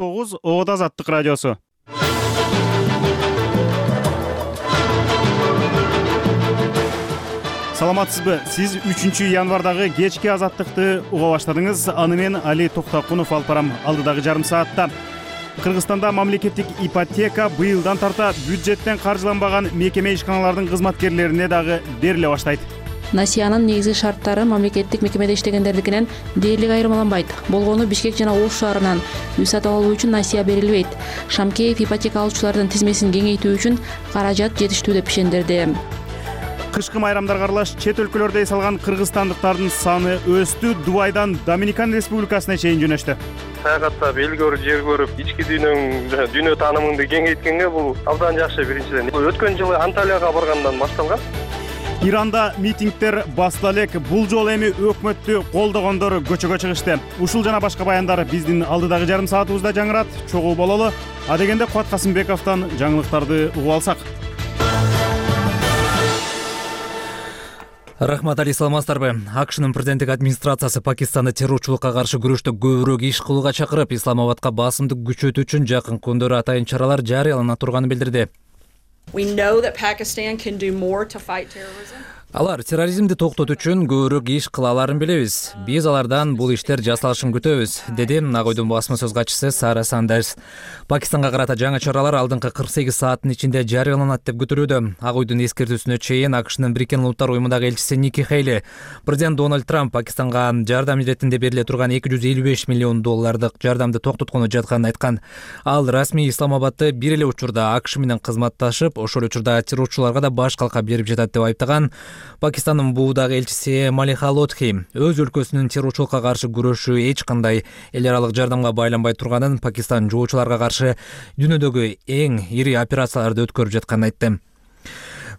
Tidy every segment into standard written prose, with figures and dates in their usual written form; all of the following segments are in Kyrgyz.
9 Ода Азаттык радиосу. Саламатсызбы? Сиз 3 январдагы кечки Азаттыкты уга баштадыңыз. Аны мен Али Токтакунов алып барам алдыдагы жарым саатта. Кыргызстанда мамлекеттик ипотека быйылдан тарта бюджеттен каржыланбаган мекеме ишканалардын кызматкерлерине дагы бериле баштайт. Насиянын негизги шарттары мамлекеттик мекемеде иштегендердикинен дээрлик айырмаланбайт. Болгону Бишкек жана Ош шаарынан үй сатып алуу үчүн насия берилбейт. Шамкеев ипотека алуучулардын тизмесин кеңейтүү үчүн каражат жетиштүү деп ишендирди. Кышкы майрамдарга аралаш чет өлкөлөрдө эс алган кыргызстандыктардын саны өстү. Дубайдан Доминикан Республикасына чейин жөнөштү. Саякаттап, эл көрүп, жер көрүп, ички дүйнө таанымыңды кеңейткенге бул абдан жакшы. Биринчиден, өткөн жылы Анталияга баргандан башталган. Иранда митингдер басыла элек. Бул жолу эми өкмөттү колдогондор көчөгө чыгышты. Ушул жана башка баяндар биздин алдыдагы жарым саатыбызда жаңырат. Чогуу бололу. А дегенде Кубат Касымбековдон жаңылыктарды угуп алсак. Рахмат, Али, саламатсыздарбы? АКШнын президенттик администрациясы Пакистанды террорчулукка каршы күрөштө көбүрөөк иш кылууга чакырып, Исламабадка басымды күчөтүү үчүн жакын күндөрү атайын чаралар жарыялана турганын билдирди. Алар терроризмди токтотуу үчүн көбүрөөк иш кыла аларын билебиз. Биз алардан бул иштер жасалышын күтөбүз, деди Ак Үйдүн басма сөз катчысы Сара Сандерс. Пакистанга карата жаңы чаралар алдыңкы 48 сааттын ичинде жарыяланат деп күтүлүүдө. Ак Үйдүн эскертүүсүнө чейин АКШнын Бириккен Улуттар уюмундагы элчиси Ники Хейли президент Дональд Трамп Пакистанга жардам иретинде бериле турган $255 миллион жардамды токтоткону жатканын айткан. Ал расмий Исламабадты бир эле учурда АКШ менен кызматташып, ошол учурда террорчуларга да баш калка берип жатат деп айыптаган. Пакистандын буудагы элчиси Малиха Лотхи өз өлкөсүнүн террорчулукка каршы күрөшүү эч кандай эл аралык жардамга байланбай турганын, Пакистан жоочуларга каршы дүйнөдөгү эң ири операцияларды өткөрүп жатканын айтты.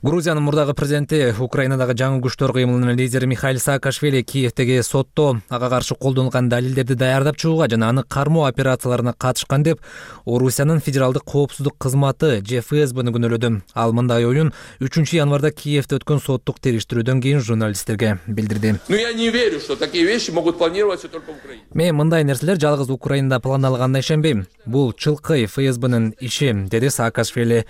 Грузиянын мурдагы президенти Украинадагы жаңы күчтөр кыймылынын лидери Михаил Саакашвили Киевдеги сотто ага каршы колдонулган далилдерди даярдап чыгууга жана аны кармоо операцияларына катышкан деп Орусиянын федералдык коопсуздук кызматы ФСБны күнөөлөдү. Ал мындай оюн 3 январда Киевде өткөн соттук териштирүүдөн кийин журналисттерге билдирди. Я не верю, что такие вещи могут планироваться только в Украине. Мен мындай нерселер жалгыз Украинада пландалганына ишенбейм. Бул чылкы ФСБнын иши, деди Саакашвили.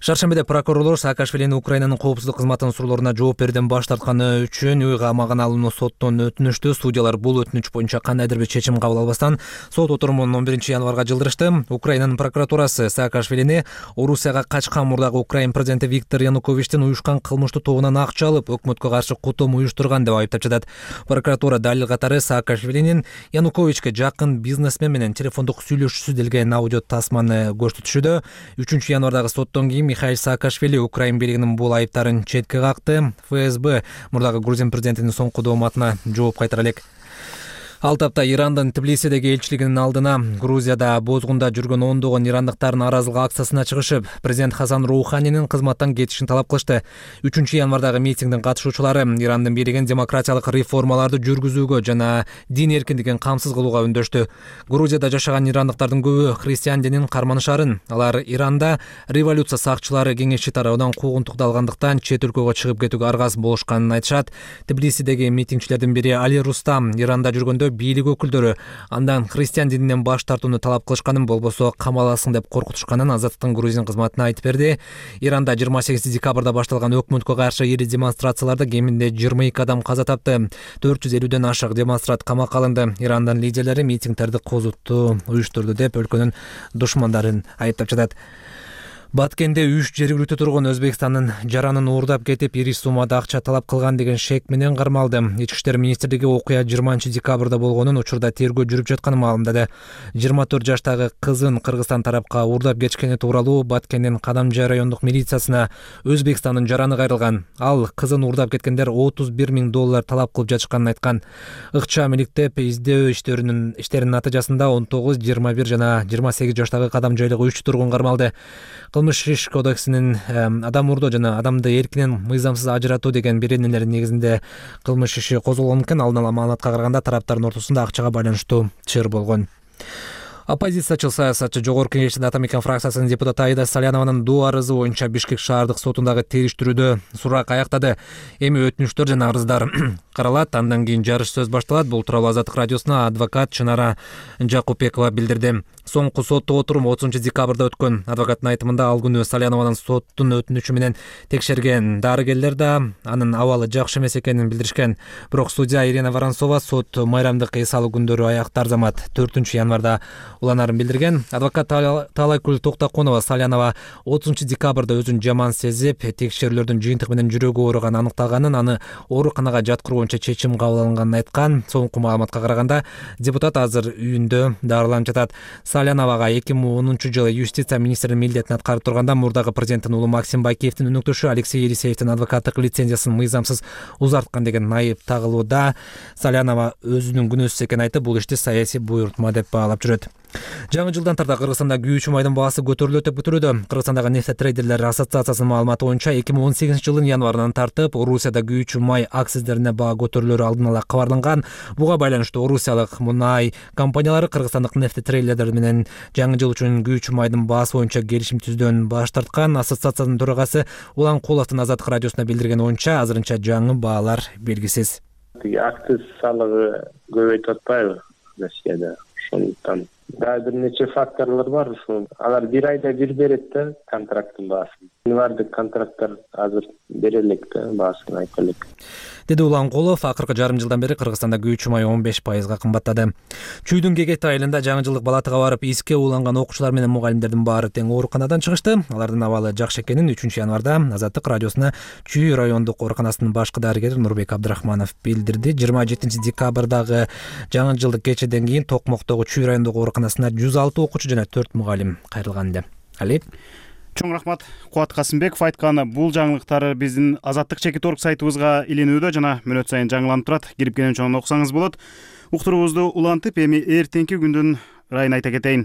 Шаршембиде прокурорлор Саакашвилини Украинанын коопсуздук кызматынын суроолоруна жооп берүүдөн баш тартканы үчүн үй камагына алууну соттон өтүнүштү. Судьялар бул өтүнүч боюнча кандайдыр бир чечим кабыл албастан сот отурумун 11 январга жылдырышты. Украинанын прокуратурасы Саакашвилини Орусияга качкан мурдагы Украин президенти Виктор Януковичтин уюшкан кылмыштуу тобунан акча алып, өкмөткө каршы кутум уюштурган деп айыптап жатат. Прокуратура далил катары Саакашвилинин Януковичке жакын бизнесмен менен телефондук сүйлөшүүсү делген аудио тасманы көрсөтүшүүдө. 3 январдагы соттон кийин Михаил Саакашвили Украин бийлигинин бул айыптарын четке какты. ФСБ мурдагы Грузин президентинин соңку дооматына жооп кайтара элек. Ал тапта Ирандын Тбилисидеги элчилигинин алдына Грузияда бозгунда жүргөн ондогон ирандыктардын нааразылык акциясына чыгышып, президент Хасан Роуханинин кызматтан кетишин талап кылышты. 3 январдагы митингдин катышуучулары Ирандын бийлигин демократиялык реформаларды жүргүзүүгө жана дин эркиндигин камсыз кылууга үндөштү. Грузияда жашаган ирандыктардын көбү христиан динин карманышарын. Алар Иранда революция сакчылары кеңешчи тарабынан куугунтукту алгандыктан чет өлкөгө чыгып кетүүгө аргасыз болушканын айтышат. Тбилисидеги митингчилердин бири Али Рустам Иранда жүргөндө бийлик өкүлдөрү андан христиан дининен баш тартууну талап кылышканын, болбосо камаласың деп коркутушканын Азаттыктын Грузин кызматына айтып берди. Иранда 28 декабрда башталган өкмөткө каршы ири демонстрацияларда кеминде 22 адам каза тапты. 450ден ашык демонстрант камакка алынды. Ирандын лидерлери митингдерди козутту, уюштурду деп өлкөнүн душмандарын айыптап жатат. Баткенде 3 жергиликтүү тургун Өзбекстандын жаранын уурдап кетип, ири суммада акча талап кылган деген шек менен кармалды. Ички иштер министрлиги окуя 20 декабрда болгонун, учурда тергөө жүрүп жатканын маалымдады. 24 жаштагы кызын Кыргызстан тарапка уурдап кетишкени тууралуу Баткендин Кадамжай райондук милициясына Өзбекстандын жараны кайрылган. Ал кызын уурдап кеткендер $31 000 талап кылып жатышканын айткан. Ыкчам иликтеп издөө иштеринин натыйжасында 19, 21 жана 28 жаштагы Кадамжайлык 3 тургун кармалды. Кылмыш иш кодексинин адам уурдоо жана адамды эркинен мыйзамсыз ажыратуу деген беренелери негизинде кылмыш иши козголгон экен. Алдын ала маалыматка караганда тараптардын ортосунда акчага байланыштуу чыр болгон. Оппозициячыл саясатчы Жогорку Кеңештин Атамекен фракциясынын депутаты Аида Салянованын доо арызы боюнча Бишкек шаардык сотундагы териштирүүдө сурак аяктады. Эми өтүнүчтөр жана арыздар каралат, андан кийин жарыш сөз башталат. Бул тууралуу Азаттык радиосуна адвокат Чынара Жакупбекова билдирди. Соңку соттук отурум 30 декабрда өткөн. Адвокаттын айтымында ал күнү Салянованын соттун өтүнүчү менен текшерген дарыгерлер да анын абалы жакшы эмес экенин билдиришкен. Бирок судья Ирина Воронцова сот майрамдык эс алуу күндөрү аякты арзамат 4 январда уланарын билдирген. Адвокат Талайкүл Токтакунова Салянова 30 декабрда өзүн жаман сезип, текшерүүлөрдүн жыйынтыгы менен жүрөгү ооруган аныкталганын, аны ооруканага жаткыруу боюнча чечим кабыл алынганын айткан. Соңку маалыматка караганда депутат азыр үйүндө дарыланып жатат. Саляновага 2010 жылы юстиция министринин милдетин аткарып турганда мурдагы президенттин уулу Максим Байкеевдин өнөктөшү Алексей Елисеевдин адвокаттык лицензиясын мыйзамсыз узарткан деген айып тагылууда. Салянова өзүнүн күнөөсүз экенин айтып, бул ишти саясий буйрутма деп баалап жүрөт. Жаңы жылдан тарта Кыргызстанда күйүүчү майдын баасы көтөрүлөт деп күтүлүүдө. Кыргызстандагы нефтетрейдерлер ассоциациясынын маалыматы боюнча 2018 жылдын январынан тартып Орусияда күйүүчү май акциздерине баа көтөрүлөрү алдын ала кабарланган. Буга байланыштуу орусиялык мунай компаниялары кыргызстандык нефтетрейдерлер менен жаңы жыл үчүн күйүүчү майдын баасы боюнча келишим түздөн баш тарткан. Ассоциациянын төрагасы Улан Куловдун Азаттык радиосуна билдирген боюнча азырынча жаңы баалар белгисиз. Акциз салыгы көбөйтүп атпайбы Россияда? Ошондуктан бир нече факторлор бар. Алар бир айда бир берет да контракттын баасын. Бардык контракттар азыр бере элек да баасын айта элек. Деди Улан Кулов. Акыркы жарым жылдан бери Кыргызстанда күйүүчү май 15% кымбаттады. Чүйдүн Кегет айылында жаңы жылдык балатыга барып иске ууланган окуучулар менен мугалимдердин баары тең ооруканадан чыгышты. Алардын абалы жакшы экенин 3 январда Азаттык радиосуна Чүй райондук ооруканасынын башкы дарыгери Нурбек Абдрахманов билдирди. 27 декабрдагы жаңы жылдык кечеден кийин Токмоктогу Чүй райондук ооруканасына 106 окуучу жана 4 мугалим кайрылган эле. Али Чоң рахмат. Кубат Касымбеков айткан бул жаңылыктар биздин Азаттык чекит.орг сайтыбызга илинүүдө жана мүнөт сайын жаңыланып турат. Кирип келген чоң окусаңыз болот. Уктуруубузду улантып, эми эртеңки күндүн ырайын айта кетейин.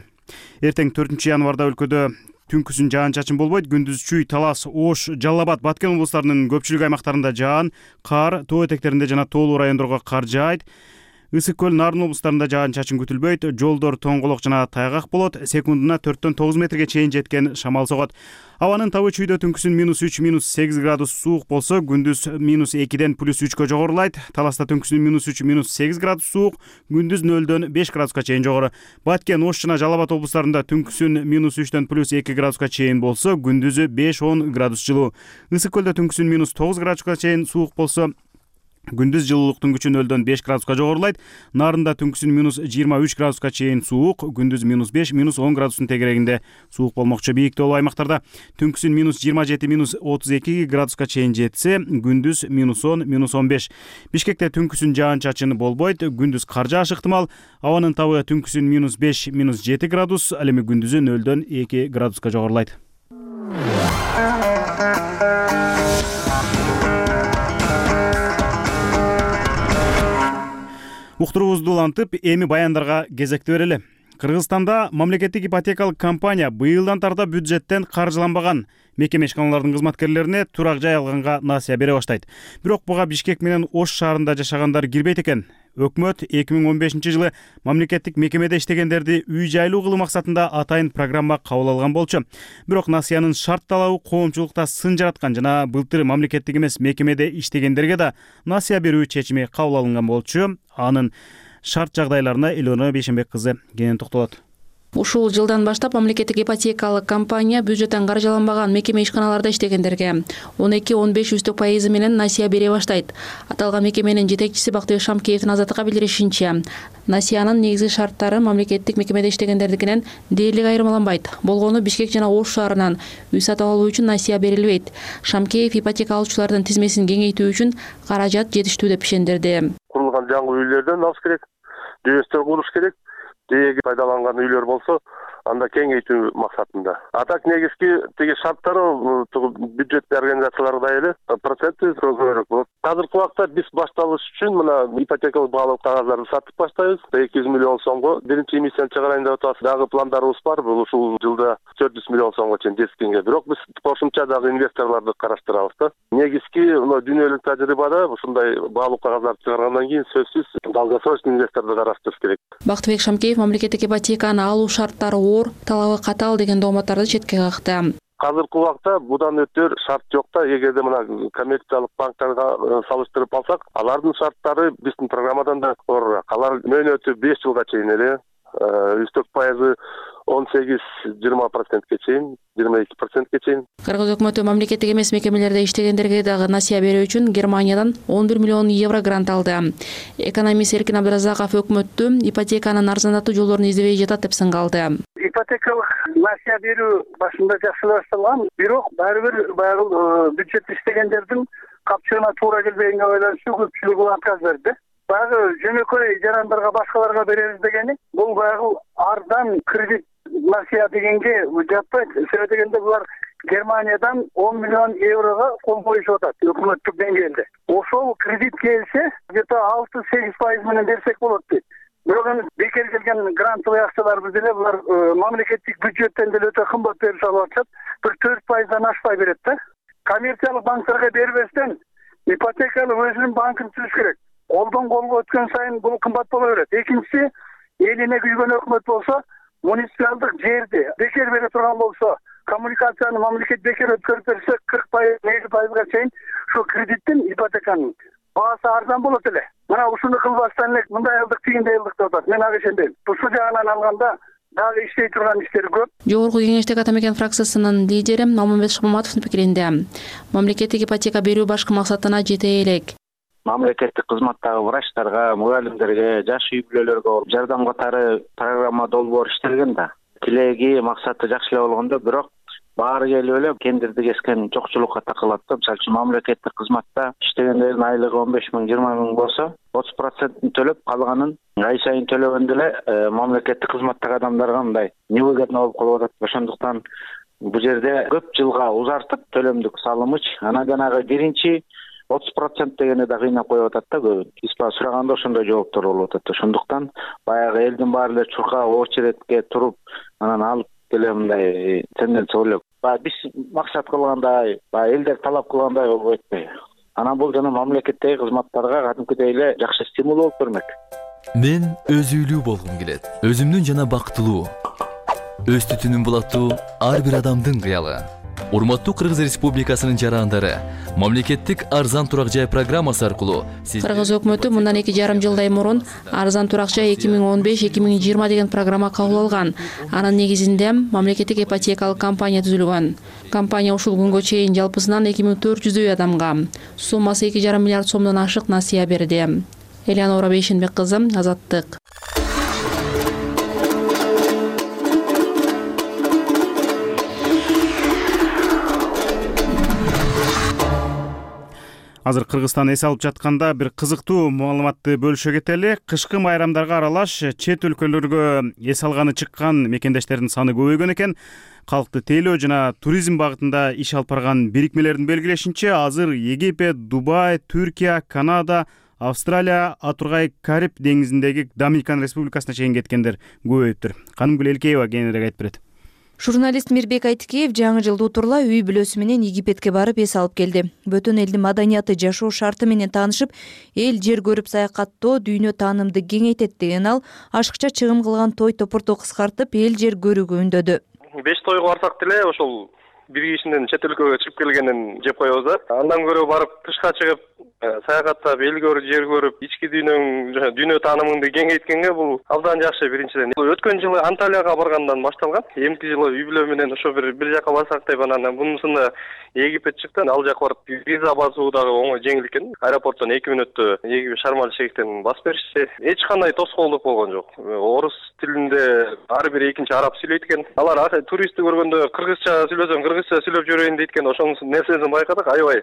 Эртең 4 январда өлкөдө түнкүсүн жаан-чачын болбойт. Күндүз Чүй, Талас, Ош, Жалал Абад, Баткен облустарынын көпчүлүк аймактарында жаан, кар, тоо этектеринде жана тоолуу райондорго кар жаайт. Ысык көл, Нарын облустарында жаан-чачын күтүлбөйт. Жолдор тоңголок жана тайгак болот. Секундуна 4-9 метрге чейин жеткен шамал согот. Абанын табы Чүйдө түнкүсүн -3, -8 градус суук болсо, күндүз -2ден +3кө жогорулайт. Таласта түнкүсүн -3, -8 градус суук, күндүз 0дөн 5 градуска чейин жогору. Баткен, Ош жана Жалал Абад облустарында түнкүсүн -3дөн +2 градуска чейин болсо, күндүзү 5-10 градус жылуу. Ысык көлдө түнкүсүн -9 градуска чейин суук болсо, күндүз жылуулуктун күчү 0дөн 5 градуска жогорулайт. Нарында түнкүсүн -23 градуска чейин суук, күндүз -5, -10 градустун тегерегинде суук болмокчу. Бийик тоолуу аймактарда түнкүсүн -27, -32 градуска чейин жетсе, күндүз -10, -15. Бишкекте түнкүсүн жаан-чачын болбойт, күндүз кар жаашы ыктымал. Абанын табы түнкүсүн -5, -7 градус, ал эми күндүзү 0дөн 2 градуска жогорулайт. Уктуруубузду улантып, эми баяндарга кезекти берели. Кыргызстанда мамлекеттик ипотекалык компания быйылдан тарта бюджеттен каржыланбаган мекеме ишканалардын кызматкерлерине турак жай алганга насыя бере баштайт. Бирок буга Бишкек менен Ош шаарында жашагандар кирбейт экен. Өкмөт 2015 жылы мамлекеттик мекемеде иштегендерди үй жайлуу кылуу максатында атайын программа кабыл алган болчу. Бирок насыянын шарт талабы коомчулукта сын жараткан жана былтыр мамлекеттик эмес мекемеде иштегендерге да насыя берүү чечими кабыл алынган болчу. Анын шарт жагдайларына Элеонора Бейшенбек кызы кенен токтолот. Ушул жылдан баштап мамлекеттик ипотекалык компания бюджеттен каржыланбаган мекеме ишканаларда иштегендерге 12-15% менен насыя бере баштайт. Аталган мекеменин жетекчиси Бактыбек Шамкеевдин Азаттыкка билдиришинче, насыянын негизги шарттары мамлекеттик мекемеде иштегендердикинен дээрлик айырмаланбайт. Болгону Бишкек жана Ош шаарынан үй сатып алуу үчүн насыя берилбейт. Шамкеев ипотека алуучулардын тизмесин кеңейтүү үчүн каражат жетиштүү деп ишендирди. Курулган жаңы үйлөрдөн алыш керек, дөстөр куруш керек. Деги пайдаланган үйлөр болсо, анда кеңейтүү максатында. А так негизги тиги шарттары бюджет организацияларда эле проценти көбүрөөк болот. Азыркы убакта биз башталыш үчүн мына ипотекалык баалуу кагаздарды сатып баштайбыз. 200 миллион сомго биринчи эмиссияны чыгарайын деп атабыз. Дагы пландарыбыз бар. Бул ушул жылда 400 миллион сомго чейин жеткенге. Бирок биз кошумча дагы инвесторлорду караштырабыз да. Негизги дүйнөлүк тажрыйбада ушундай баалуу кагаздарды чыгаргандан кийин сөзсүз долгосрочный инвесторду караштырыш керек. Бактыбек Шамкеев мамлекеттик ипотеканы алуу шарттары оор, талабы катаал деген дооматтарды четке какты. Азыркы убакта будан өтөр шарт жок да. Эгерде мына коммерциялык банктарга салыштырып алсак, алардын шарттары биздин программадан да орурак. Алар мөөнөтү 5 жылга чейин эле, үстөк пайызы 18-20%ке чейин, 22%ке чейин. Кыргыз өкмөтү мамлекеттик эмес мекемелерде иштегендерге дагы насыя берүү үчүн Германиядан 11 миллион евро грант алды. Экономист Эркин Абдыразаков өкмөттү ипотеканын арзандатуу жолдорун издебей жатат деп сынгалды. Ипотекалык насыя берүү башында жакшы башталган, бирок баары бир баягы бюджет иштегендердин капчыгына туура келбегенге байланыштуу көпчүлүгү бул отказ берди. Баягы жөнөкөй жарандарга башкаларга беребиз дегени бул баягы арзан кредит насыя дегенге жатпайт. Себеби дегенде булар Германиядан 10 миллион еврого кол коюшуп атат өкмөттүк деңгээлде. Ошол кредит келсе, где-то 6-8% менен берсек болот дейт. Бирок эми бекер келген грантовый акчаларыбыз деле булар мамлекеттик бюджеттен деле өтө кымбат берип алып атышат. Бир 4%дан ашпай берет да. Коммерциялык банктарга бербестен ипотекалык өзүнүн банкын түзүш керек. Колдон колго өткөн сайын бул кымбат боло берет. Экинчиси, элине күйгөн өкмөт болсо, муниципалдык жерди бекер бере турган болсо, коммуникацияны мамлекет бекер өткөрүп берсе, 40%, 50%га чейин ушу кредиттин ипотеканын баасы арзан болот эле. Мына ушуну кылбастан элек мындай алдык, тигиндей алдык деп атат. Мен ага ишенбейм. Ушул жагынан алганда дагы иштей турган иштер көп. Жогорку кеңештик ата мекен фракциясынын лидери Алмамбет Шапмаматовдун пикиринде мамлекеттик ипотека берүү башкы максатына жете элек. Мамлекеттик кызматтагы врачтарга, мугалимдерге, жаш үй бүлөлөргө жардам катары программа долбоор иштелген да. Тилеги, максаты жакшы эле болгондо, бирок баары келип эле кендирди кескен жокчулукка такылат да. Мисалы үчүн мамлекеттик кызматта иштегендердин айлыгы 15 миң, 20 миң болсо, 30% төлөп, калганын ай сайын төлөгөндө эле мамлекеттик кызматтагы адамдарга мындай невыгодно болуп калып атат. Ошондуктан бул жерде көп жылга узартып төлөмдүк салымыч, анан жанагы биринчи 30% дегени да кыйнап коюп атат да көбүн. Испа сураганда ошондой жооптор болуп атат. Ошондуктан баягы элдин баары эле чуркап очередке туруп, анан алып келе мындай тенденция болуп. Биз максат кылгандай, элдер талап кылгандай болуп кетпей. Анан бул жана мамлекеттеги кызматтарга кадимкидей эле жакшы стимул болуп бермек. Мен өзүйлүү болгум келет. Өзүмдүн жана бактылуу, өз түтүнүн булаттуу ар бир адамдын кыялы. Урматтуу Кыргыз Республикасынын жарандары, мамлекеттик арзан турак жай программасы аркылуу Кыргыз өкмөтү мындан 2,5 жылдай мурун арзан турак жай 2015-2020 деген программа кабыл алган. Анын негизинде мамлекеттик ипотекалык компания түзүлгөн. Компания ушул күнгө чейин жалпысынан 2400 адамга суммасы 2,5 миллиард сомдон ашык насыя берди. Элеонора Бейшенбек кызы, Азаттык. Азыр Кыргызстан эс алып жатканда бир кызыктуу маалыматты бөлүшө кетели. Кышкы майрамдарга аралаш чет өлкөлөргө эс алганы чыккан мекендештердин саны көбөйгөн экен. Калкты тейлөө жана туризм багытында иш алып барган бирикмелердин белгилешинче, азыр Египет, Дубай, Түркия, Канада, Австралия, Атургай, Кариб деңизиндеги Доминикан Республикасына чейин кеткендер көбөйүптүр. Канымгүл Элкеева кеңирээк айтып берет. Журналист Мирбек Айтикеев жаңы жылды утурла үй бүлөсү менен Египетке барып эс алып келди. Бөтөн элдин маданияты, жашоо шарты менен таанышып, эл жер көрүп саякаттоо дүйнө таанымды кеңейтет деген ал ашыкча чыгым кылган той топурду кыскартып, эл жер көрүүгө үндөдү. 5 тойго барсак деле ошол бир кишинин чет өлкөгө чыгып келгенин жеп коебуз да. Андан көрө барып тышка чыгып саякаттап, эл көрүп, жер көрүп, ички дүйнө таанымыңды кеңейткенге бул абдан жакшы. Биринчиден өткөн жылы Анталияга баргандан башталган. Эмки жылы үй бүлө менен ошо бир жака барсак деп, анан мунусунда Египет чыкты. Ал жака барып виза басуу дагы оңой, жеңил экен. Аэропорттон 2 мүнөттө Египет Шарм-эль-Шейхтен басып беришти. Эч кандай тоскоолдук болгон жок. Орус тилинде ар бир экинчи араб сүйлөйт экен. Алар туристти көргөндө кыргызча сүйлөсөң өзүбүзчө сүйлөп жиберейин дейт экен. Ошонун нерсесин байкадык, аябай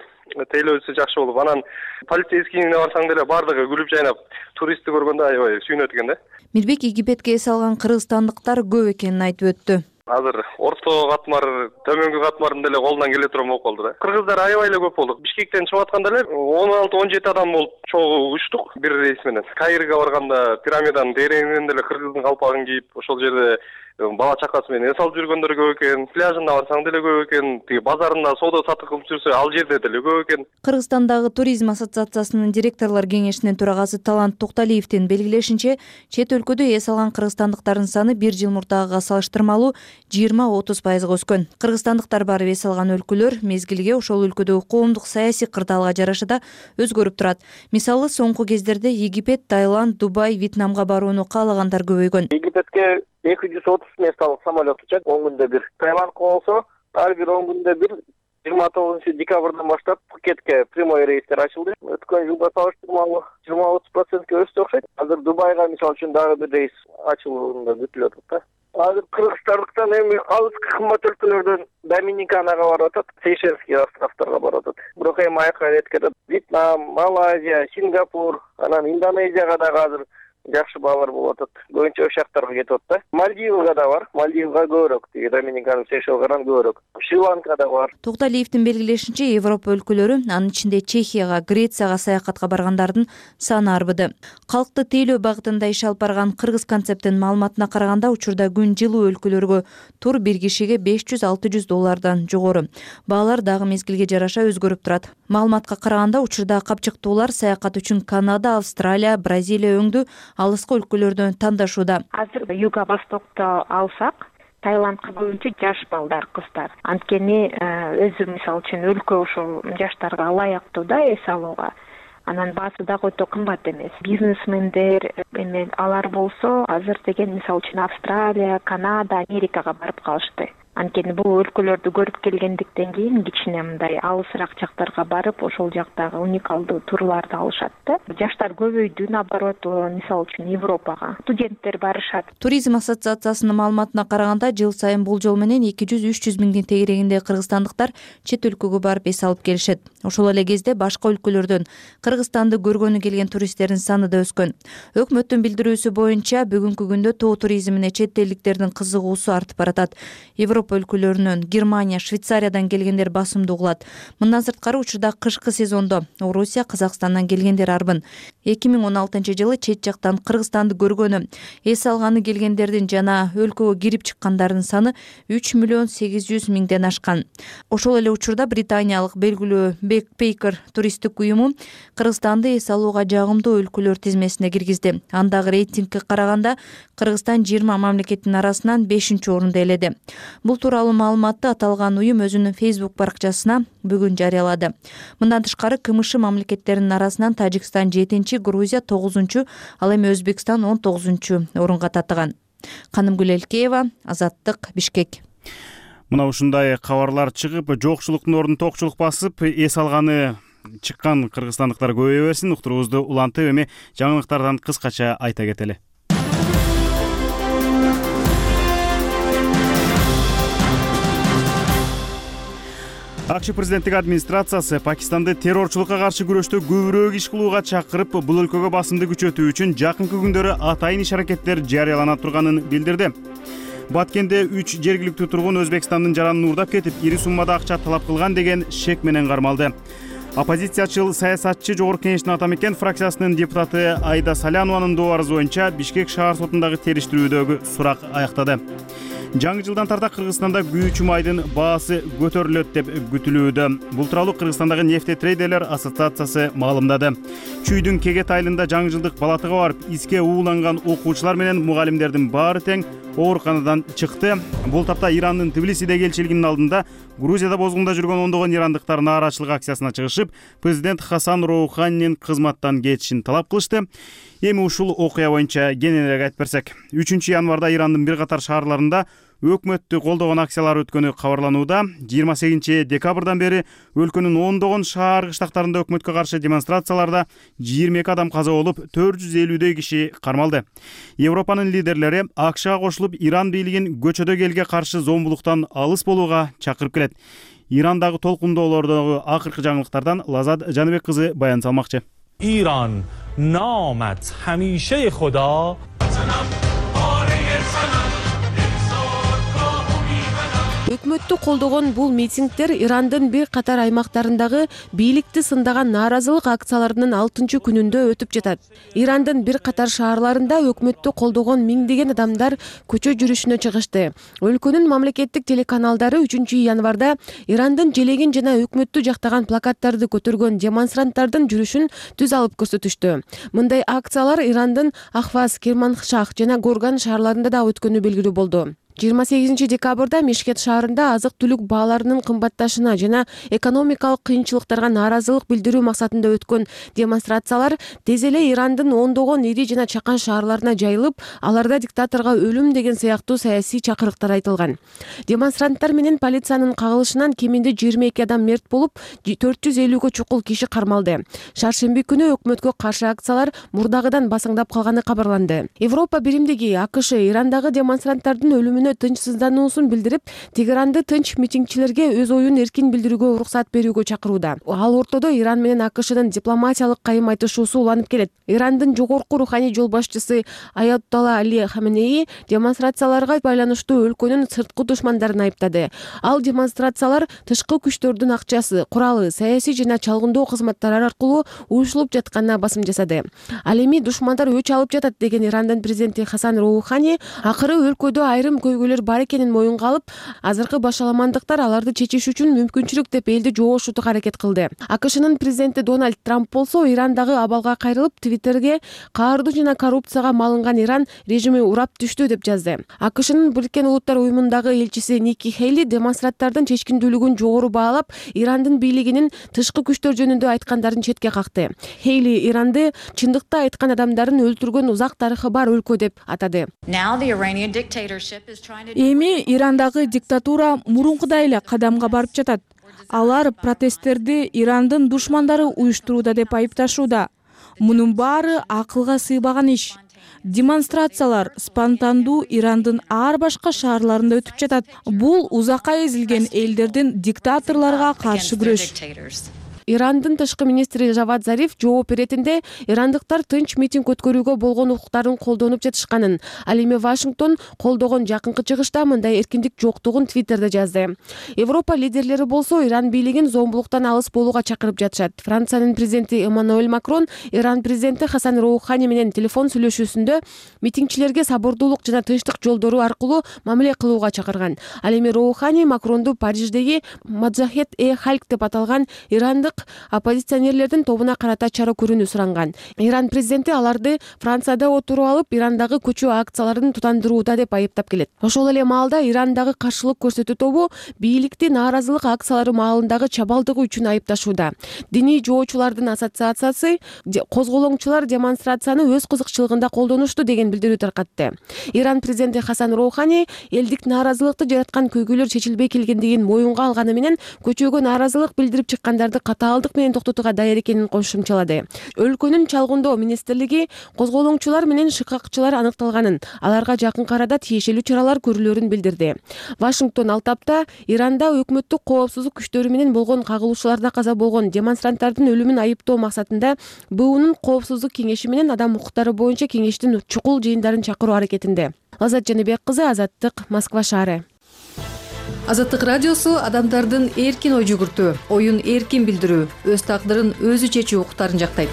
тейлөөсү жакшы болуп, анан полицейскийине барсаң деле баардыгы күлүп жайнап, туристти көргөндө аябай сүйүнөт экен да. Мирбек Египетке эс алган кыргызстандыктар көп экенин айтып өттү. Азыр орто катмар, төмөнгү катмардын деле колунан келе турган болуп калды да. Кыргыздар аябай эле көп болдук. Бишкектен чыгып атканда эле 16-17 адам болуп чогуу учтук бир рейс менен. Каирге барганда пирамиданын дереңинен деле кыргыздын калпагын кийип, ошол жерде бала чакасы менен эс алып жүргөндөр көп экен. Пляжына барсаң деле көп экен. Тиги базарында соода сатык кылып жүрсө, ал жерде деле көп экен. Кыргызстандагы туризм ассоциациясынын директорлор кеңешинин төрагасы Талант Токталиевдин белгилешинче, чет өлкөдө эс алган кыргызстандыктардын саны 1 жыл мурдагыга салыштырмалуу 20-30% өскөн. Кыргызстандыктар барып эс алган өлкөлөр мезгилге ошол өлкөдөгү коомдук саясий кырдаалга жараша да өзгөрүп турат. Мисалы, соңку кездерде Египет, Таиланд, Дубай, Вьетнамга барууну каалагандар көбөйгөн. Египетке 230 местталык самолет учат 10 күндө бир. Таиландка болсо ар бир 10 күндө бир 29-декабрдан баштап Пхукетке прямой рейстер ачылды. Өткөн жылга салыштырмалуу 20-30% өстү окшойт. Азыр Дубайга мисалы үчүн дагы бир рейс ачылууда күтүлүп атат да. Азыр кыргызстандыктан эми алыскы кымбат өлкөлөрдөн Доминиканага барып атат, Сейшельский островторго барып атат. Бирок эми айкын эткерет. Вьетнам, Малайзия, Сингапур, анан Индонезияга дагы азыр жакшы баалар болуп атат. Көбүнчө ошол жактарга кетип атат да. Мальдивага да бар. Мальдивга көбүрөөк, тиги Доминикан, Сейшелгардан көбүрөөк. Шри-Ланка да бар. Токталиевдин белгилешинче, Европа өлкөлөрү, анын ичинде Чехияга, Грецияга саякатка баргандардын саны арбыды. Калкты тейлөө багытында иш алып барган Кыргыз концепттин маалыматына караганда, учурда күн жылуу өлкөлөргө тур бир кишиге $500-600 жогору. Баалар дагы мезгилге жараша өзгөрүп турат. Маалыматка караганда, учурда капчыктуулар саякат үчүн Канада, Австралия, Бразилия өңдүү алыскы өлкөлөрдөн тандашууда. Азыр Юго-Востокто алсак, Таиландка көбүнчө жаш балдар, кыздар. Анткени өзү мисалы үчүн өлкө ошол жаштарга ылайыктуу да эс алууга. Анан баасы дагы өтө кымбат эмес. Бизнесмендер эме алар болсо, азыр деген мисалы үчүн Австралия, Канада, Америкага барып калышты. Анткени бул өлкөлөрдү көрүп келгендиктен кийин кичине мындай алысыраак жактарга барып, ошол жактагы уникалдуу турларды алышат да. Жаштар көбөйдү, наоборот, мисалы үчүн Европага студенттер барышат. Туризм ассоциациясынын маалыматына караганда, жыл сайын болжол менен 200-300 миңдин тегерегинде кыргызстандыктар чет өлкөгө барып эс алып келишет. Ошол эле кезде башка өлкөлөрдөн Кыргызстанды көргөнү келген туристтердин саны да өскөн. Өкмөттүн билдирүүсү боюнча, бүгүнкү күндө тоо туризмине чет элдиктердин кызыгуусу артып баратат. Европа өлкөлөрүнөн, Германия, Швейцариядан келгендер басымдуу кылат. Мындан сырткары, учурда кышкы сезондо Орусия, Казакстандан келгендер арбын. 2016-жылы чет жактан Кыргызстанды көргөнү, эс алганы келгендердин жана өлкөгө кирип чыккандардын саны 3,8 миллион ашкан. Ошол эле учурда британиялык белгилүү Backpacker туристтик уюму Кыргызстанды эс алууга жагымдуу өлкөлөр тизмесине киргизди. Андагы рейтингке караганда Кыргызстан 20 мамлекеттин арасынан 5-орунду ээледи. Бул тууралуу маалыматты аталган уюм өзүнүн Facebook баракчасына бүгүн жарыялады. Мындан тышкары, КМШ мамлекеттеринин арасынан Тажикстан 7-чи, Грузия 9-чу, ал эми Өзбекстан 19-чу орунга татыган. Канымгүл Элкеева, Азаттык, Бишкек. Мына ушундай кабарлар чыгып, жокчулуктун ордун токчулук басып, эс алганы чыккан кыргызстандыктар көбөйө берсин. Уктуруубузду улантып, эми жаңылыктардан кыскача айта кетели. АКШ президенттик администрациясы Пакистанды террорчулукка каршы күрөштө көбүрөөк иш кылууга чакырып, бул өлкөгө басымды күчөтүү үчүн жакынкы күндөрү атайын иш-аракеттер жарыялана турганын билдирди. Баткенде 3 жергиликтүү тургун Өзбекстандын жаранын уурдап кетип, ири суммада акча талап кылган деген шек менен кармалды. Оппозициячыл саясатчы Жогорку Кеңештин атамекен фракциясынын депутаты Айда Салянованын доорубу боюнча Бишкек шаар сотундагы териштирүүдөгү сурак аяктады. Жаңы жылдан тарта Кыргызстанда күйүүчү майдын баасы көтөрүлөт деп күтүлүүдө. Бул тууралуу Кыргызстандагы нефтетрейдерлер ассоциациясы маалымдады. Чүйдүн Кегет айылында жаңы жылдык балатыга барып, иске ууланган окуучулар менен мугалимдердин баары тең ооруканадан чыкты. Бул тапта Ирандын Тбилисидеги элчилигинин алдында Грузияда бозгунда жүргөн ондогон ирандыктар нааразычылык акциясына чыгышып, президент Хасан Роуханинин кызматтан кетишин талап кылышты. Эми ушул окуя боюнча кененирээк айтып берсек, 3 январда Ирандын бир катар шаарларында өкмөттү колдогон акциялар өткөнү кабарланууда. 28 декабрдан бери өлкөнүн ондогон шаар кыштактарында өкмөткө каршы демонстрацияларда 22 адам каза болуп, 450дөй киши кармалды. Европанын лидерлери АКШга кошулуп, Иран бийлигин көчөдөгү элге каршы зомбулуктан алыс болууга чакырып келет. Ирандагы толкундоолордогу акыркы жаңылыктардан Лазат Жаныбек кызы баян салмакчы. ایران نامت همیشه خدا өкмөттү колдогон бул митингдер Ирандын бир катар аймактарындагы бийликти сындаган нааразылык акцияларынын 6-күнүндө өтүп жатат. Ирандын бир катар шаарларында өкмөттү колдогон миңдеген адамдар көчө жүрүшүнө чыгышты. Өлкөнүн мамлекеттик телеканалдары 3-январда Ирандын желегин жана өкмөттү жактаган плакаттарды көтөргөн демонстранттардын жүрүшүн түз алып көрсөтүштү. Мындай акциялар Ирандын Ахваз, Керманшах жана Горган шаарларында да өткөнү белгилүү болду. 28 декабрда Мешкет шаарында азык-түлүк бааларынын кымбатташына жана экономикалык кыйынчылыктарга нааразылык билдирүү максатында өткөн демонстрациялар тез эле Ирандын ондогон ири жана чакан шаарларына жайылып, аларда диктаторго өлүм деген сыяктуу саясий чакырыктар айтылган. Демонстранттар менен полициянын кагылышынан кеминде 22 адам мерт болуп, 450гө чукул киши кармалды. Шаршемби күнү өкмөткө каршы акциялар мурдагыдан басаңдап калганы кабарланды. Европа биримдиги АКШ Ирандагы демонстранттардын өлүмүнө тынчсыздануусун билдирип, Тегеранды тынч митингчилерге өз оюн эркин билдирүүгө уруксат берүүгө чакырууда. Ал ортодо Иран менен АКШнын дипломатиялык кайым айтышуусу уланып келет. Ирандын жогорку руханий жол башчысы Аятолла Али Хаменеи демонстрацияларга байланыштуу өлкөнүн сырткы душмандарын айыптады. Ал демонстрациялар тышкы күчтөрдүн акчасы, куралы, саясий жана чалгындоо кызматтары аркылуу уюшулуп жатканына басым жасады. Ал эми душмандар өч алып жатат деген Ирандын президенти Хасан Роухани акыры өлкөдө айрым көйгөйлөр бар экенин моюнга алып, азыркы башаламандыктар аларды чечиш үчүн мүмкүнчүлүк деп элди жоошутууга аракет кылды. АКШнын президенти Дональд Трамп болсо Ирандагы абалга кайрылып, Твиттерге каардуу жана коррупцияга малынган Иран режими урап түштү деп жазды. АКШнын Бириккен Улуттар уюмундагы элчиси Ники Хейли демонстранттардын чечкиндүүлүгүн жогору баалап, Ирандын бийлигинин тышкы күчтөр жөнүндө айткандарын четке какты. Хейли Иранды чындыкты айткан адамдарын өлтүргөн узак тарыхы бар өлкө деп атады. Эми Ирандагы диктатура мурункудай эле кадамга барып жатат. Алар протесттерди Ирандын душмандары уюштурууда деп айыпташууда. Мунун баары акылга сыйбаган иш. Демонстрациялар спонтандуу Ирандын ар башка шаарларында өтүп жатат. Бул узакка эзилген элдердин диктаторлорго каршы күрөш. Ирандын тышкы министри Жавад Зариф жооп беретинде ирандыктар тынч митинг өткөрүүгө болгон укуктарын колдонуп жатышканын, ал эми Вашингтон колдогон жакынкы чыгышта мындай эркиндик жоктугун Твиттерде жазды. Европа лидерлери болсо Иран бийлигин зомбулуктан алыс болууга чакырып жатышат. Франциянын президенти Эммануэль Макрон Иран президенти Хасан Роухани менен телефон сүйлөшүүсүндө митингчилерге сабырдуулук жана тынчтык жолдору аркылуу мамиле кылууга чакырган. Ал эми Роухани Макронду Париждеги Маджахет-э-Халк деп аталган ирандык оппозиционерлердин тобуна карата чара көрүүнү суранган. Иран президенти аларды Францияда отуруп алып, Ирандагы көчүү акцияларын тутандырууда деп айыптап келет. Ошол эле маалда Ирандагы каршылык көрсөтүү тобу бийликти нааразылык акциялары маалындагы чабалдыгы үчүн айыпташууда. Диний жоочулардын ассоциациясы козголоңчулар демонстрацияны өз кызыкчылыгында колдонушту деген билдирүү таркатты. Иран президенти Хасан Роухани элдик нааразылыкты жараткан көйгөйлөр чечилбей келгендигин моюнга алганы менен көчөгө нааразылык билдирип чыккандарды катаалдык менен токтотууга даяр экенин кошумчалады. Өлкөнүн чалгындоо министрлиги козголоңчулар менен шыкакчылар аныкталганын, аларга жакын арада тиешелүү чаралар көрүлөрүн билдирди. Вашингтон ал тапта Иранда өкмөттүк коопсуздук күчтөрү менен болгон кагылышууларда каза болгон демонстранттардын өлүмүн айыптоо максатында БУнун коопсуздук кеңеши менен адам укуктары боюнча кеңештин чукул жыйындарын чакыруу аракетинде. Лазат Жаныбек кызы, Азаттык, Москва шаары. Азаттык радиосу адамдардын эркин ой жүгүртүү, оюн эркин билдирүү, өз тагдырын өзү чечүү укуктарын жактайт.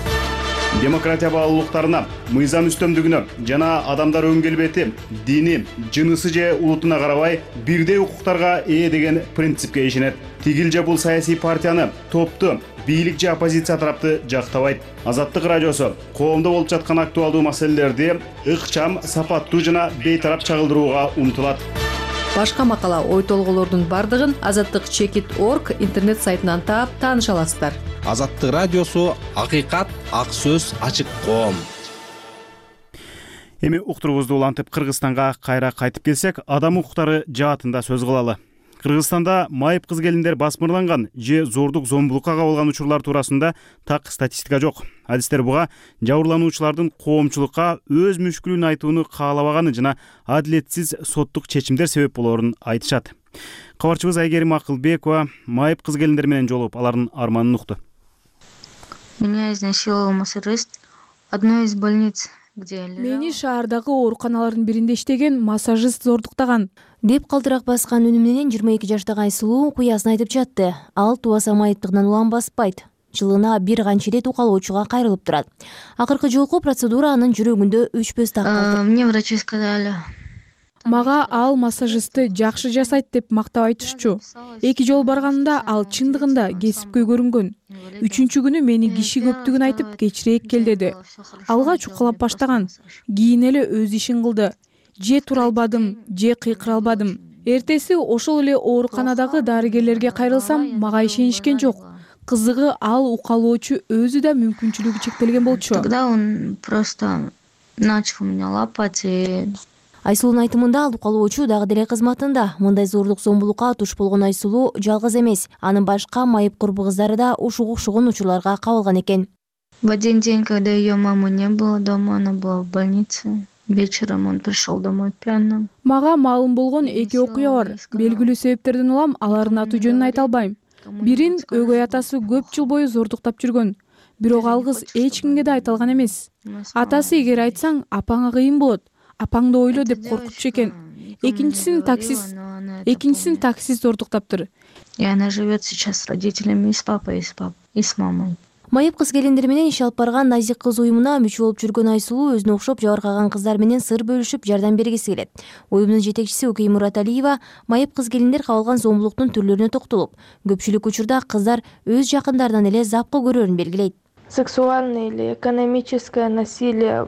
Демократия баалуулуктарына, мыйзам үстөмдүгүнө жана адамдар өн келбети, дини, жынысы же улутуна карабай бирдей укуктарга ээ деген принципке ишенет. Тигил же бул саясий партияны, топту, бийлик же оппозиция тарапты жактабайт. Азаттык радиосу коомдо болуп жаткан актуалдуу маселелерди ыкчам, сапаттуу жана бейтарап чагылдырууга умтулат. Башка макала, ой толголордун бардыгын azattik.org интернет сайтынан таап тааныша аласыздар. Азаттык радиосу акыйкат, ак сөз, ачык коом. Эми уктуруубузду улантып Кыргызстанга кайра кайтып келсек, адам укуктары жаатында сөз кылалы. Кыргызстанда майып кыз келиндер басмырланган же зордук зомбулукка кабылган учурлар туурасында так статистика жок. Адистер буга жабырлануучулардын коомчулукка өз мүшкүлүн айтууну каалабаганы жана адилетсиз соттук чечимдер себеп болоорун айтышат. Кабарчыбыз Айгерим Акылбекова майып кыз келиндер менен жолугуп, алардын арманын укту. Меня изнасиловал массажист одной из больниц. Мени шаардагы ооруканалардын биринде иштеген массажист зордуктаган деп калтырак баскан үнү менен 22 жаштагы Айсулуу куясын айтып жатты. Ал тубаса майыптыгынан улам баспайт. Жылына бир канча ирет укалоочуга кайрылып турат. Акыркы жолку процедура анын жүрөгүндө өчпөс так калды. Мне врачи сказали. Мага ал массажистти жакшы жасайт деп мактап айтышчу. 2 жол барганымда ал чындыгында кесипкөй көрүнгөн. 3-чү күнү мени киши көптүгүн айтып кечирээк кел деди. Алга чукалап баштаган. Кийин эле өз ишин кылды. Же тура албадым, же кыйкыра албадым. Эртеси ошол эле ооруканадагы дарыгерлерге кайрылсам, мага ишенишкен жок. Кызыгы ал укалоочу өзү да мүмкүнчүлүгү чектелген болчу. Тогда он просто начал меня лапать и Айсулуунун айтымында ал укалоочу дагы деле кызматында. Мындай зордук зомбулукка туш болгон Айсулуу жалгыз эмес. Анын башка майып курбу кыздары да ушуга окшогон учурларга кабылган экен. В один день, когда ее мамы не было дома, она была в больнице. Вечером он пришел домой пьяным. Мага маалым болгон 2 окуя бар. Белгилүү себептерден улам алардын аты жөнүн айта албайм. Бирин өгөй атасы көп жыл бою зордуктап жүргөн. Бирок ал кыз эч кимге да айта алган эмес. Атасы эгер айтсаң, апаңа кыйын болот. Апаңды ойло деп коркутчу экен. Экинчисин таксист зордуктаптыр. И она живет сейчас с родителями, и с папой, и с мамой. Майып кыз келиндер менен иш алып барган Назик кыз уюмуна мүчө болуп жүргөн Айсулуу өзүнө окшоп жабыркаган кыздар менен сыр бөлүшүп жардам бергиси келет. Уюмдун жетекчиси Укей Мураталиева майып кыз келиндер кабылган зомбулуктун түрлөрүнө токтолуп, көпчүлүк учурда кыздар өз жакындарынан эле запкы көрөрүн белгилейт. Сексуальное или экономическое насилие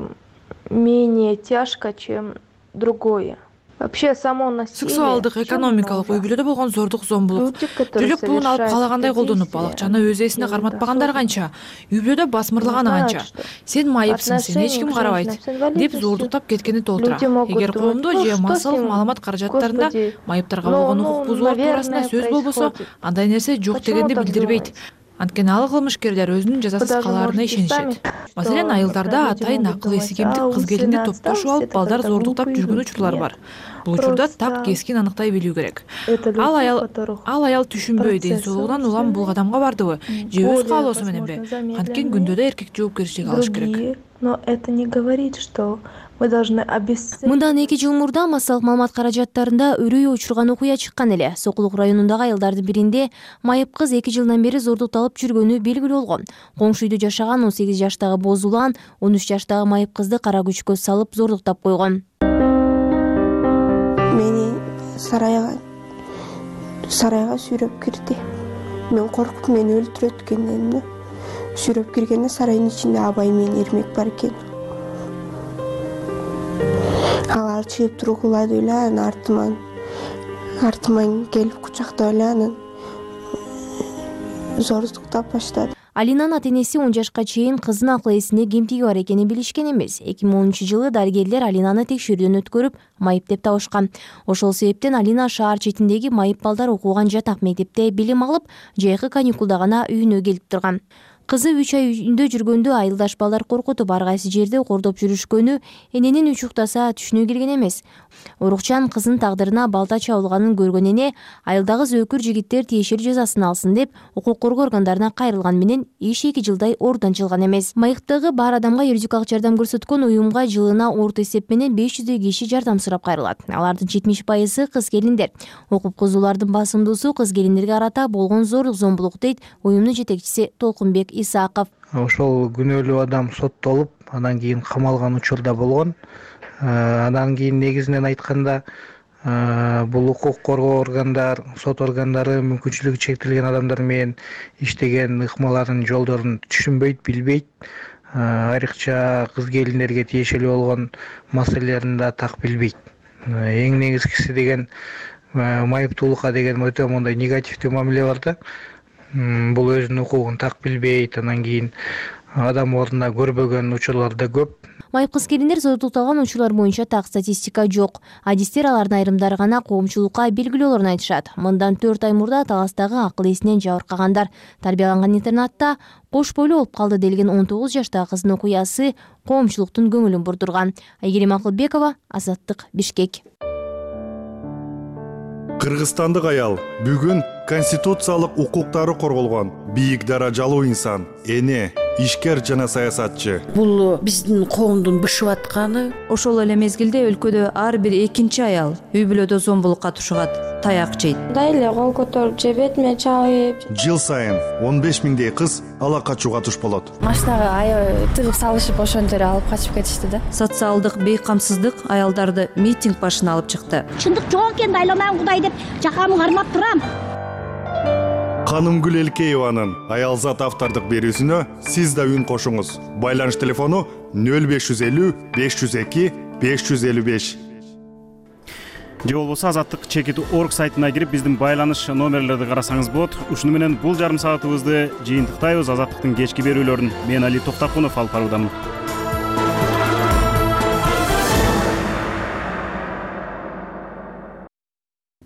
менее тяжко, чем другое. Вообще само насилие. Сексуалдык, экономикалык үй бүлөдө болгон зордук зомбулук. Төлөк пулун алып каалагандай колдонуп, балакчаны өз эсине карматпагандар канча, үй бүлөдө басмырлаганы канча. Сен майыпсың, сени эч ким карабайт деп зордуктап кеткени толтура. Эгер коомдо же массалык маалымат каражаттарында майыптарга болгон укук бузуулар туурасында сөз болбосо, андай нерсе жок дегенди билдирбейт. Анткени ал кылмышкерлер өзүнүн жазасыз калаарына ишенишет. Маселен, айылдарда атайын акыл эси кемдик кыз келинди топтошуп алып балдар зордуктап жүргөн учурлар бар. Бул учурда так кескин аныктай билүү керек. Ал аял түшүнбөй, ден соолугунан улам бул кадамга бардыбы, же өз каалоосу мененби? Анткени күндө да эркек жоопкерчилик алыш керек. Но это не говорит, что мы должны обесценить. Мындан 2 жыл мурда массалык маалымат каражаттарында өрөй учурган окуя чыккан эле. Сокулук районундагы айылдардын биринде майып кыз 2 жылдан бери зордукталып жүргөнү белгилүү болгон. Коңшу үйдө жашаган 18 жаштагы Бозулан 13 жаштагы майып кызды кара күчкө салып зордуктап койгон. Мени сарайга сүйрөп кирди. Мен коркуп мени өлтүрөт экен дедим. Сүйрөп киргенде сарайдын ичинде Абай менен Эрмек бар экен. Алар чыгып тургулады эле, анан артыман келип кучактап эле анан зордуктап баштады. Алинанын ата-энеси 10 жашка чейин кыздын акыл эсинде кемтиги бар экенин билишкен эмес. 2010-жылы дарыгерлер Алинаны текшерүүдөн өткөрүп, майып деп табышкан. Ошол себептен Алина шаар четиндеги майып балдар окуган жатак мектепте билим алып, жайкы каникулда гана үйүнө келип турган. Кызы 3 ай үйүндө жүргөндө айылдаш балдар коркутуп ар кайсы жерде кордоп жүрүшкөнү эненин учуктаса түшүнө келген эмес. Урукчан кызын тагдырына балта чабылганын көргөн эне айылдагы зөөкүр жигиттер тиешелүү жазасын алсын деп укук коргоо органдарына кайрылган менен иш 2 жылдай ордон чыган эмес. Майыктыгы бар адамга юридикалык жардам көрсөткөн уюмга жылына орто эсеп менен 500 киши жардам сурап кайрылат. Алардын 70% кыз келиндер. Окуп кызуулардын басымдуусу кыз келиндерге карата болгон зордук зомбулук дейт уюмдун жетекчиси Толкунбек Исаков. Ошол күнөөлүү адам соттолуп, андан кийин камалган учурда болгон. Андан кийин негизинен айтканда, бул укук коргоо органдар, сот органдары мүмкүнчүлүгү чектелген адамдар менен иштеген ыкмалардын жолдорун түшүнбөйт, билбейт. Айрыкча кыз келиндерге тиешелүү болгон маселелерин да так билбейт. Эң негизгиси деген майыптуулукка деген өтө мондай негативдүү мамиле бар да. Бул өзүнүн укугун так билбейт, анан кийин адам ордуна көрбөгөн учурлар да көп. Майып кыз келиндер сотукталган учурлар боюнча так статистика жок. Адистер алардын айрымдары гана коомчулукка белгилүүлөрүн айтышат. Мындан 4 ай мурда Таластагы акыл эсинен жабыркагандар тарбияланган интернатта кош бойлуу болуп калды делген 19 жаштагы кыздын окуясы коомчулуктун көңүлүн бурдурган. Айгерим Акылбекова, Азаттык, Бишкек. Кыргызстандык аял бүгүн конституциялык укуктары корголгон бийик даражалуу инсан, эне, ишкер жана саясатчы. Бул биздин коомдун бышып атканы. Ошол эле мезгилде өлкөдө ар бир экинчи аял үй бүлөдө зомбулукка тушугат, таяк жейт. Эле кол көтөрүп же бетиме чабып. Жыл сайын 15 миңдей кыз ала качууга туш болот. Машинага аябай тыгып салышып ошондо эле алып качып кетишти да. Социалдык бейкамсыздык аялдарды митинг башына алып чыкты. Чындык жок экен, айланам Кудай деп жакамы кармап турам. Канымгүл Элкееванын Аялзат автордук берүүсүнө сиз да үн кошуңуз. Байланыш телефону 0550 502 555. Же болбосо Азаттык Чекит.org сайтына кирип биздин байланыш номерлерди карасаңыз болот. Ушуну менен бул жарым саатыбызды жыйынтыктайбыз. Азаттыктын кечки берүүлөрүн мен Али Токтакунов алып баруудамын.